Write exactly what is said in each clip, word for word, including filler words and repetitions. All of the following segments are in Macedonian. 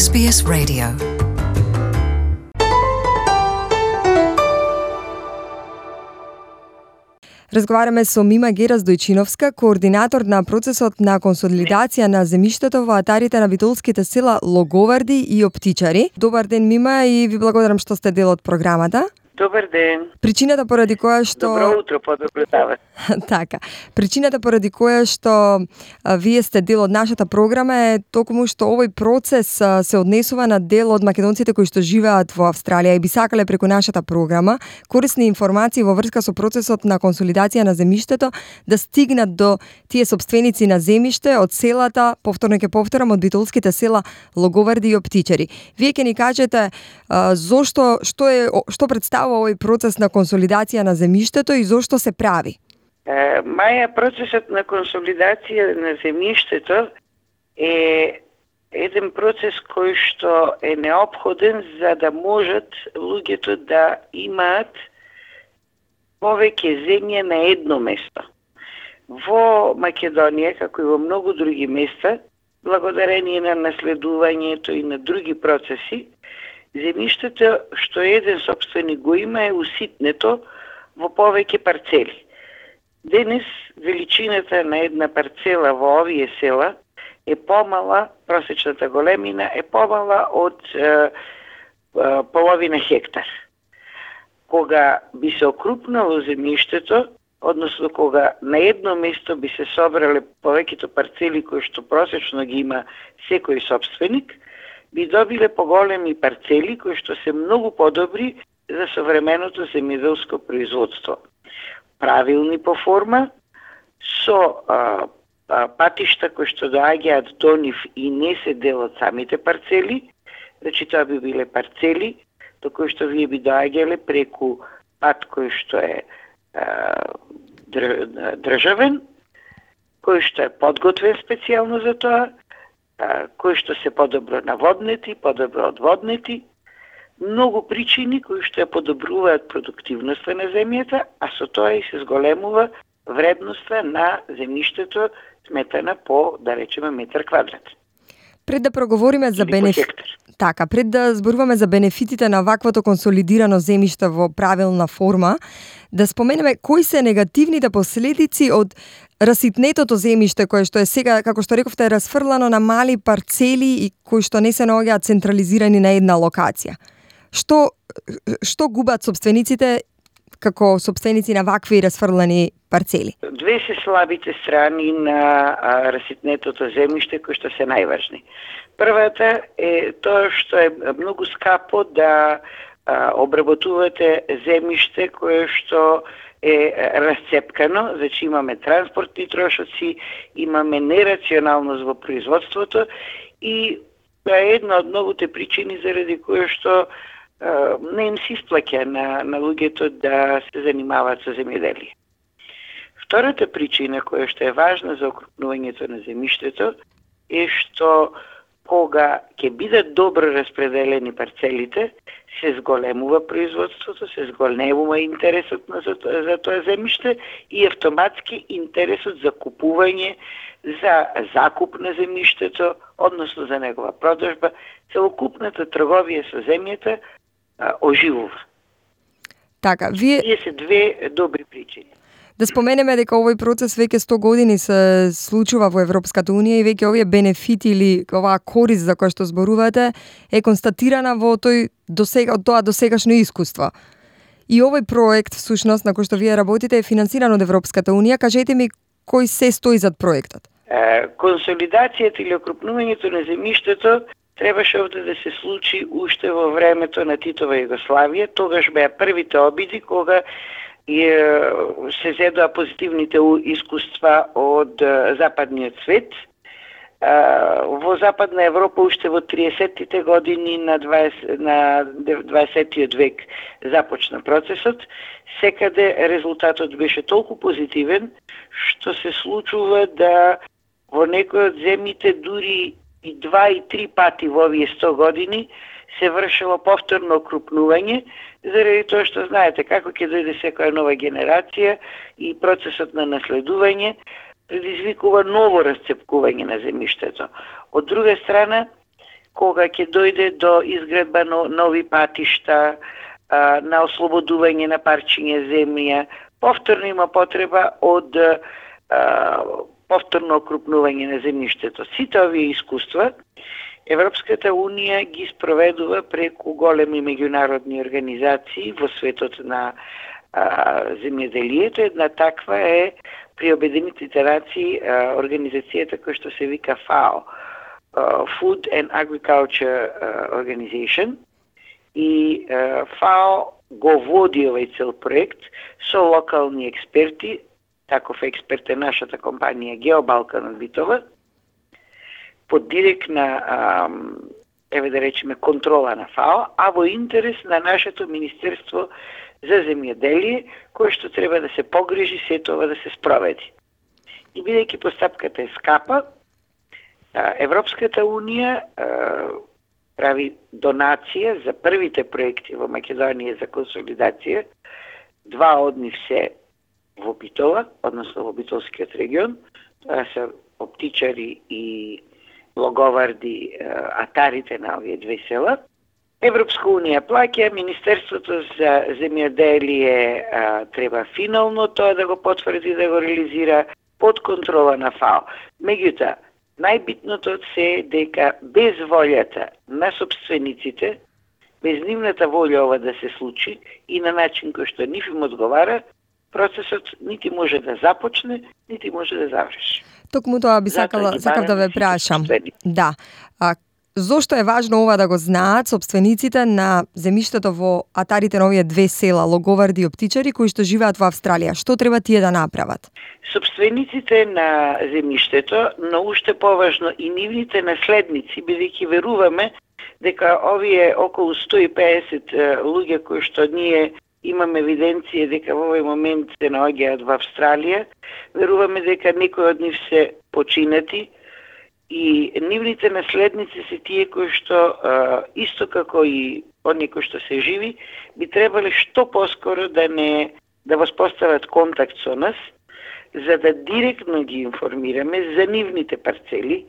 Ес Би Ес Radio. Разговараме со Мима Гераздојчиновска, координатор на процесот на консолидација на земјиштето во атарите на битолските села Логоварди и Оптичари. Добар ден, Мима, и ви благодарам што сте дел од програмата. Добар ден. Причината поради која што... Добро утро, по-добро дават. Така. Причината поради која што а, вие сте дел од нашата програма е токму што овој процес а, се однесува на дел од македонците кои што живеат во Австралија и би сакале преку нашата програма корисни информации во врска со процесот на консолидација на земјиштето да стигнат до тие сопственици на земјиште од селата, повторно ќе повторам, од битолските села Логоварди и Оптичари. Вие ќе ни кажете а, зошто, што е што представува овој процес на консолидација на земјиштето и зошто се прави? Е, Маја, процесот на консолидација на земјиштето е еден процес кој што е неопходен за да можат луѓето да имаат повеќе земја на едно место. Во Македонија, како и во многу други места, благодарение на наследувањето и на други процеси, земјиштето што еден собственик го има е уситнето во повеќе парцели. Денес величината на една парцела во овие села е помала, просечната големина е помала од е, е, половина хектар. Кога би се окрупнало земјиштето, односно кога на едно место би се собрале повеќето парцели кои што просечно ги има секој собственик, би добиле поголеми парцели кои што се многу подобри за современото земјоделско производство. Правилни по форма, со а, а, патишта кои што доаѓаат до нив и не се дел од самите парцели, значи тоа би биле парцели до кои што вие би доаѓале преку пат кој што е а, државен, кој што е подготвен специјално за тоа, кои што се подобро наводнети, подобро одводнети, многу причини кои што ја подобруваат продуктивноста на земјата, а со тоа и се зголемува вредноста на земјиштето сметана по, да речеме, метар квадрат. Пред да проговориме за бенефит... Така, пред да зборуваме за бенефитите на ваквото консолидирано земјиште во правилна форма, да споменеме кои се негативните последици од раситнетото земјиште кое што е сега, како што рековте, расфрлано на мали парцели и кои што не се наоѓаат централизирани на една локација. Што што губат собствениците како собственици на вакви расфрлани парцели? Две се слабите страни на а, раситнетото земјиште кои што се најважни. Првата е тоа што е многу скапо да а, обработувате земјиште кое што е расцепкано, значи имаме транспортни трошоци, имаме нерационалност во производството и тоа е една од многуте причини заради кои што а, не им се исплаќа на, на луѓето да се занимаваат со земјоделие. Втората причина која што е важна за окрупнувањето на земјиштето е што кога ќе бидат добро распределени парцелите, се зголемува производството, се зголемува интересот на за, за тоа земјиште и автоматски интересот за купување, за закуп на земјиштето, односно за негова продажба, целокупната трговија со земјата а, оживува. Така, вие... Тие се две добри причини. Да споменеме дека овој процес веќе сто години се случува во Европската унија и веќе овие бенефити или оваа корист за која што зборувате е констатирана во тој досега од тоа досегашно искуство. И овој проект всушност на кој што вие работите е финансиран од Европската унија. Кажете ми кој се стои зад проектот? Консолидацијата или окрупнувањето на земјиштето требаше овде да се случи уште во времето на Титова Југославија. Тогаш беа првите обиди кога и се зедоа позитивните искуства од западниот свет. Во Западна Европа уште во триесеттите години на дваесеттиот век започна процесот. Секаде резултатот беше толку позитивен што се случува да во некои од земјите дури и два и три пати во овие сто години се вршило повторно окрупнување, заради тоа што знаете како ќе дојде секоја нова генерација и процесот на наследување предизвикува ново расцепкување на земјиштето. Од друга страна, кога ќе дојде до изградба на нови патишта, на ослободување на парчиња земја, повторно има потреба од повторно окрупнување на земјиштето. Сите овие искуства Европската Унија ги спроведува преку големи меѓународни организации во светот на а, земјоделието. Една таква е при Обединетите нации а, организацијата која што се вика ФАО, Food and Agriculture Organization, и а, ФАО го води овој цел проект со локални експерти. Таков експерт е нашата компанија Геобалкан од Битова, под директна, а, еве да речеме, контрола на ФАО, а во интерес на нашето Министерство за земјоделие, кое што треба да се погрижи сето ова да се спроведи. И бидејќи постапката е скапа, Европската Унија а, прави донација за првите проекти во Македонија за консолидација. Два од нив се во Битола, односно во Битолскиот регион. Тоа се оптичари и логоварди, атарите на овие две села. Европска Унија плаќа, Министерството за земјоделие а, треба финално тоа да го потврди, да го реализира под контрола на ФАО. Меѓутоа, најбитното од се е дека без волјата на собствениците, без нивната волја ова да се случи и на начин кој што нив им одговара, процесот нити може да започне, нити може да заврши. Токму тоа би сакала, сакав да ве прашам. Да. А, зошто е важно ова да го знаат собствениците на земјиштето во атарите на овие две села, Логоварди и Оптичари, кои што живеат во Австралија? Што треба тие да направат? Собствениците на земјиштето, но уште поважно и нивните наследници, бидејќи веруваме дека овие околу сто и педесет луѓе кои што ние имаме евиденција дека во овој момент се наоѓаат во Австралија, веруваме дека некои од нив се починати и нивните наследници се тие кои што исто како и оние кои што се живи, би требале што поскоро да не да воспостават контакт со нас, за да директно ги информираме за нивните парцели,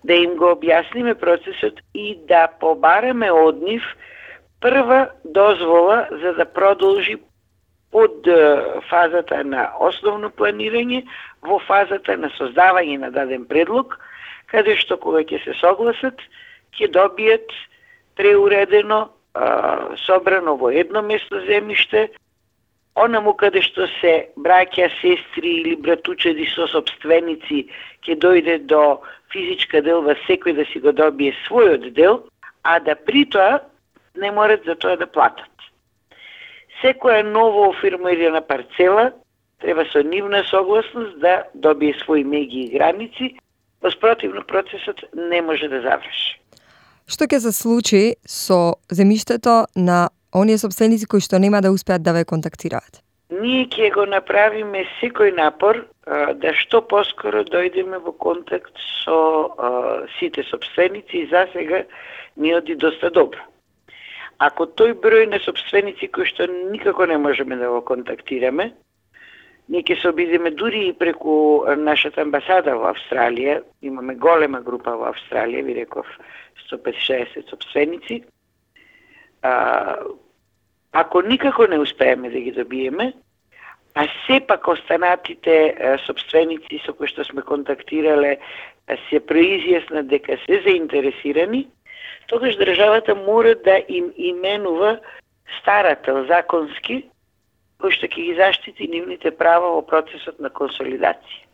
да им го објасниме процесот и да побараме од нив прва дозвола за да продолжи од фазата на основно планирање во фазата на создавање на даден предлог, каде што кога ќе се согласат, ќе добијат преуредено, собрано во едно место земјиште, онаму каде што се браќа, сестри или братучеди со собственици, ќе дојде до физичка делба секој да си го добие својот дел, а да при тоа не морат за тоа да платат. Секоја ново офирмирана парцела треба со нивна согласност да добие своји меѓи и граници, воспротивно процесот не може да заврши. Што ќе се случи со земјиштето на оние собственици кои што нема да успеат да ве контактираат? Ние ќе го направиме секој напор а, да што поскоро дојдеме во контакт со а, сите собственици и за сега ни оди доста добро. Ако тој број на собственици кои што никако не можеме да го контактираме, ние ќе се обидеме дури и преку нашата амбасада во Австралија, имаме голема група во Австралија, ви реков сто петдесет собственици. А, ако никако не успееме да ги добиеме, а сепак останатите а, собственици со кои што сме контактирале се произјаснат дека се заинтересирани, тогаш државата мора да им именува старател законски, кој што ќе ги заштити нивните права во процесот на консолидација.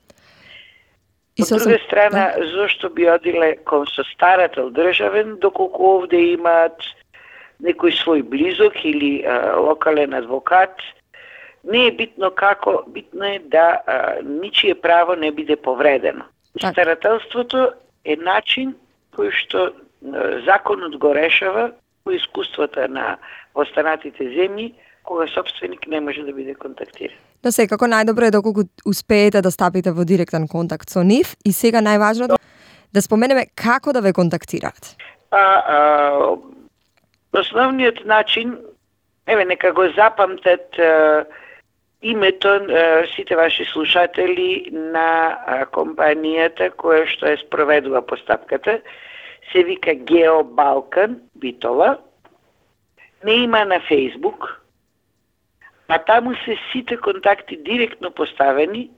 Од друга страна, да. Зошто би одиле кон со старател државен, доколку овде имаат некој свој близок или а, локален адвокат, не е битно како, битно е да а, ничие право не биде повредено. Так. Старателството е начин кој што а, законот го решава по искуствата на останатите земји, кога собственик не може да биде контактиран. Но секако најдобро е доколку успеете да стапите во директен контакт со нив и сега најважното да споменеме како да ве контактираат. А, а, основниот начин, еве нека го запамтат а, името а, сите ваши слушатели на а, компанијата која што е спроведува постапката, се вика GeoBalkan Битола, не има на Facebook, а таму се сите контакти директно поставени,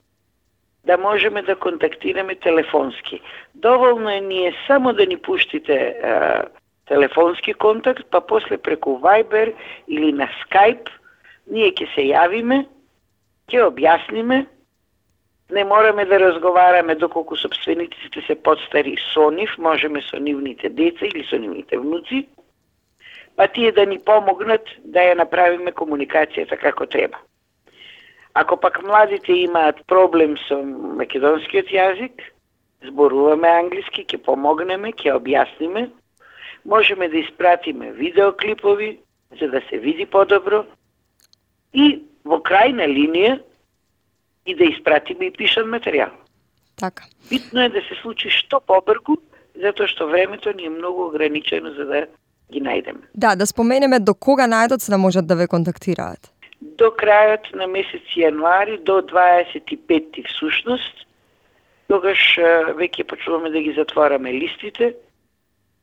да можеме да контактираме телефонски. Доволно е ние само да ни пуштите а, телефонски контакт, па после преку Viber или на Skype, ние ќе се јавиме, ќе објасниме, не мораме да разговараме доколку собствениците се подстари со нив, можеме со нивните деца или со нивните внуци, па тие да ни помогнат да ја направиме комуникацијата како треба. Ако пак младите имаат проблем со македонскиот јазик, зборуваме англиски, ќе помогнеме, ќе објасниме, можеме да испратиме видеоклипови за да се види подобро и во крајна линија и да испратиме и пишан материјал. Така. Битно е да се случи што побрзо, затоа што времето ни е многу ограничено за да ги најдеме. Да, да споменеме до кога најдоци да можат да ве контактираат. До крајот на месец јануари, до дваесет и пети всушност, тогаш веќе почнуваме да ги затвораме листите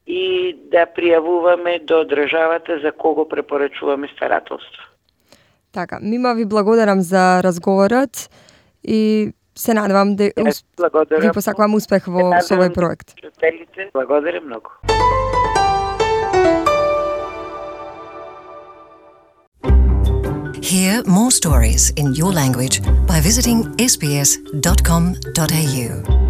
и да пријавуваме до државата за кого препорачуваме старателство. Така, мима ви благодарам за разговорот и се надевам да Yes, ви посакувам успех во со овој проект. Благодарам многу. Hear more stories in your language by visiting s b s dot com dot a u.